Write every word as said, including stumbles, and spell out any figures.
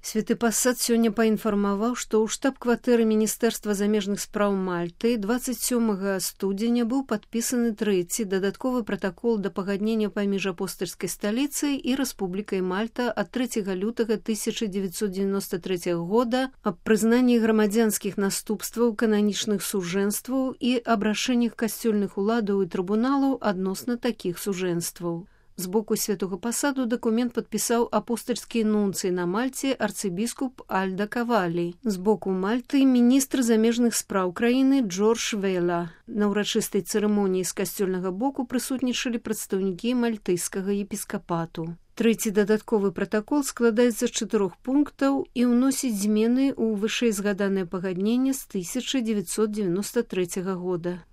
Святы пасад сёння паінфармаваў, што ў штаб-кватэры Міністэрства замежных спраў Мальты дваццаць сёмага студзеня быў падпісаны трэці дадатковы пратакол да пагаднення паміж апостальскай сталіцай і Рэспублікай Мальта ад трэцяга лютага тысяча дзевяцьсот дзевяноста трэцяга года аб прызнанні грамадзянскіх наступстваў кананічных сужэнстваў і абрашэннях касцёльных уладаў і трыбуналаў адносна такіх сужэнстваў. З боку святога пасаду дакумент падпісаў апостальскі нунцый на Мальце арцыбіскуп Альда Кавалі. З боку Мальты міністр замежных спраў краіны Джордж Вела. На ўрачыстай цырымоніі з касцёльнага боку прысутнічалі прадстаўнікі мальтыйскага епіскапату. Трэці дадатковы пратакол складаецца з чатырох пунктаў і ўносіць змены ў вышэйзгаданае пагадненне з тысяча дзевяцьсот дзевяноста трэцяга года.